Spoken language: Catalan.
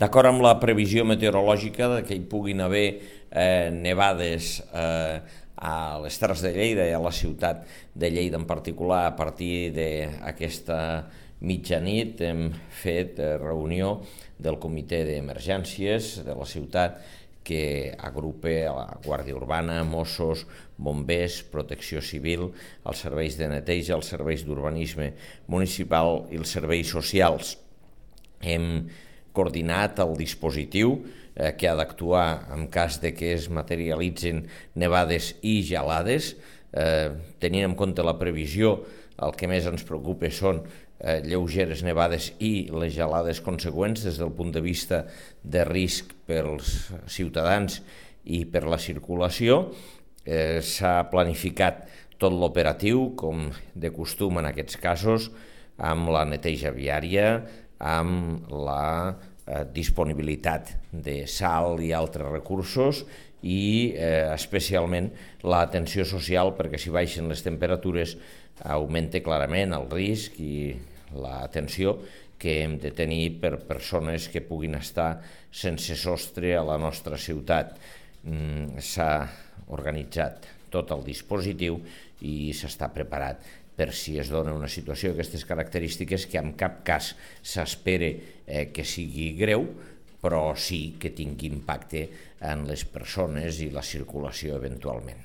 D'acord amb la previsió meteorològica que hi puguin haver nevades a les Terres de Lleida i a la ciutat de Lleida en particular, a partir d'aquesta mitjanit hem fet reunió del comitè d'emergències de la ciutat que agrupa a la Guàrdia Urbana, Mossos, Bombers, Protecció Civil, els serveis de neteja, els serveis d'urbanisme municipal i els serveis socials. Hem coordinat el dispositiu que ha d'actuar en cas de que es materialitzin nevades i gelades. Tenint en compte la previsió, el que més ens preocupa són lleugeres nevades i les gelades consegüents des del punt de vista de risc pels ciutadans i per la circulació. S'ha planificat tot l'operatiu, com de costum en aquests casos, amb la neteja viària, amb la disponibilitat de sal i altres recursos i especialment l'atenció social, perquè si baixen les temperatures augmenta clarament el risc i l'atenció que hem de tenir per persones que puguin estar sense sostre a la nostra ciutat. S'ha organitzat tot el dispositiu i s'està preparat per si es dona una situació d'aquestes característiques, que en cap cas s'espera que sigui greu, però sí que tingui impacte en les persones i la circulació eventualment.